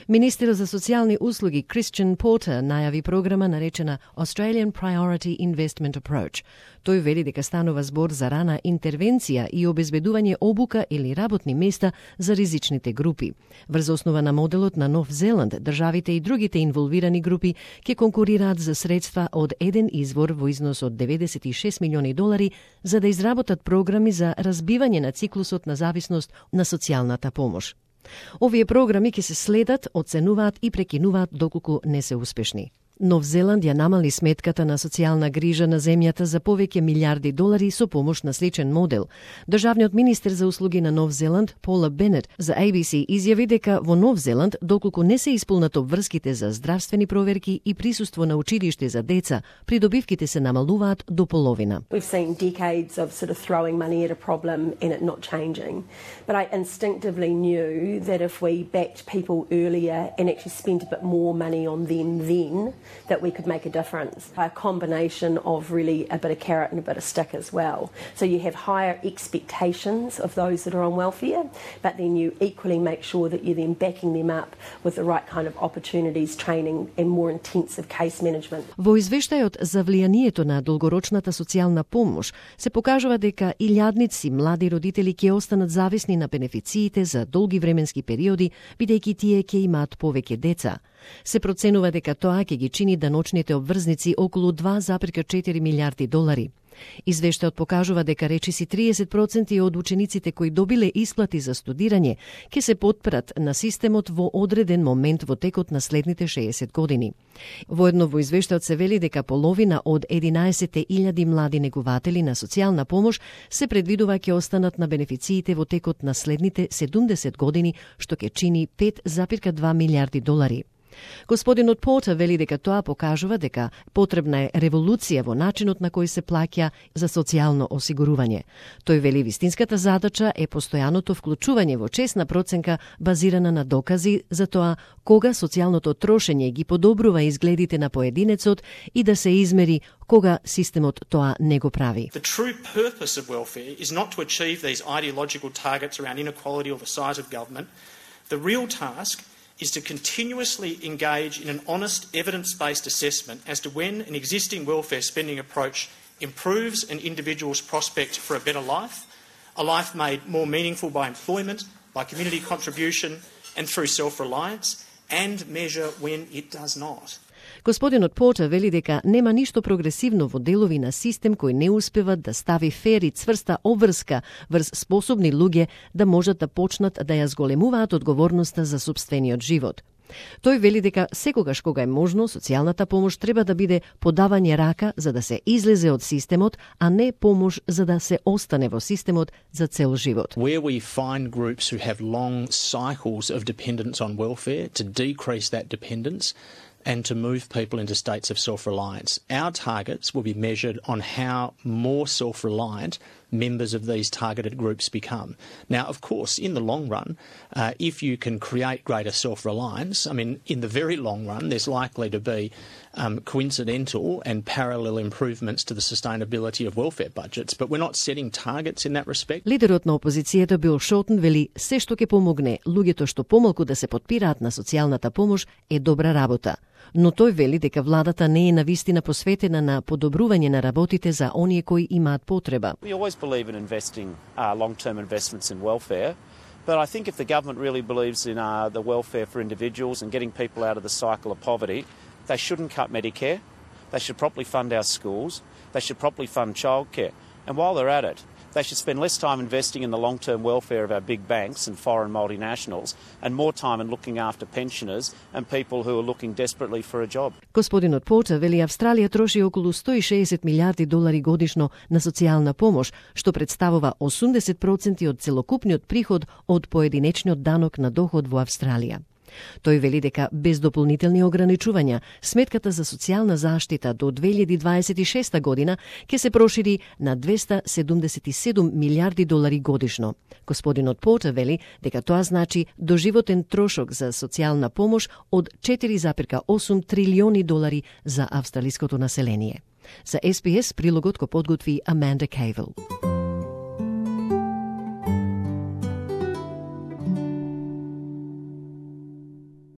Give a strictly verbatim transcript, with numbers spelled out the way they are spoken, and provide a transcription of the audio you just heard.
Министерот за социјални услуги Christian Porter најави програма наречена Australian Priority Investment Approach. Тој вели дека станува збор за рана интервенција и обезбедување обука или работни места за ризичните групи. Врз основа на моделот на Нов Зеланд, државите и другите инволвирани групи ќе конкурираат за средства од еден извор во износ од деветдесет и шест милиони долари за да изработат програми за разбивање на циклусот на зависност на социјалната помош. Овие програми ќе се следат, оценуваат и прекинуваат доколку не се успешни. Нов Зеланд ја намали сметката на социјална грижа на земјата за повеќе милиарди долари со помош на сличен модел. Државниот министер за услуги на Нов Зеланд, Пола Бенет, за A B C изјави дека во Нов Зеланд, доколку не се исполнат обврските за здравствени проверки и присуство на училиште за деца, придобивките се намалуваат до половина. We've seen decades of sort of throwing money at a problem and it not changing. But I instinctively knew that if we backed people earlier and actually spent a bit more money on them then, that we could make a difference. A combination of really a bit of carrot and a bit of stick as well. So you have higher expectations of those that are on welfare, but then you equally make sure that you're then backing them up with the right kind of opportunities, training and more intensive case management. Во извештајот за влијанието на долгорочната социјална помош се покажува дека илјадници млади родители ќе останат зависни на бенефициите за долги временски периоди, бидејќи тие ќе имаат повеќе деца. Се проценува дека тоа ќе ги чини даночните обврзници околу два зарез четири милиарди долари. Извештајот покажува дека речиси триесет проценти од учениците кои добиле исплати за студирање ќе се потпрат на системот во одреден момент во текот на следните шеесет години. Воедно во извештајот се вели дека половина од единаесет илјади млади негуватели на социјална помош се предвидува ќе останат на бенефициите во текот на следните седумдесет години, што ќе чини пет зарез два милиарди долари. Господинот Портер вели дека тоа покажува дека потребна е револуција во начинот на кој се плаќа за социјално осигурување. Тој вели вистинската задача е постојаното вклучување во честна проценка базирана на докази за тоа кога социјалното трошење ги подобрува изгледите на поединецот и да се измери кога системот тоа не го прави. The true purpose of welfare is not to achieve these ideological targets around inequality or the size of government. The real task is to continuously engage in an honest, evidence-based assessment as to when an existing welfare spending approach improves an individual's prospect for a better life, a life made more meaningful by employment, by community contribution and through self-reliance, and measure when it does not. Господинот Портер вели дека нема ништо прогресивно во делови на систем кој не успеват да стави фер и цврста обврска врз способни луѓе да можат да почнат да ја зголемуваат одговорноста за сопствениот живот. Тој вели дека секогаш кога е можно, социјалната помош треба да биде подавање рака за да се излезе од системот, а не помош за да се остане во системот за цел живот. Where we find groups who have long cycles of dependence on welfare, to decrease that dependence and to move people into states of self-reliance. Our targets will be measured on how more self-reliant members of these targeted groups become. Now, of course, in the long run, uh, if you can create greater self-reliance, I mean, in the very long run, there's likely to be um, coincidental and parallel improvements to the sustainability of welfare budgets, but we're not setting targets in that respect. Лидерот на опозицијата Бил Шортон вели се што ќе помогне луѓето што помалку да се потпираат на социјалната помош е добра работа. Но тој вели дека владата не е навистина посветена на подобрување на работите за оние кои имаат потреба. We always believe in investing uh, long-term investments in welfare, but I think if the government really believes in uh, the welfare for individuals and getting people out of the cycle of poverty, they shouldn't cut Medicare, they should properly fund our schools, they should properly fund childcare. And while they're at it, they should spend less time investing in the long-term welfare of our big banks and foreign multinationals and more time in looking after pensioners and people who are looking desperately for a job. Господинот Портер вели Австралија троши околу сто и шеесет милиарди долари годишно на социјална помош, што представува осумдесет проценти од целокупниот приход од поединечниот данок на доход во Австралија. Тој вели дека без дополнителни ограничувања, сметката за социјална заштита до две илјади дваесет и шеста година ќе се прошири на двеста седумдесет и седум милиарди долари годишно. Господинот Портер вели дека тоа значи доживотен трошок за социјална помош од четири зарез осум трилиони долари за австралиското население. За С Б С прилогот го подготви Аманда Кейвел.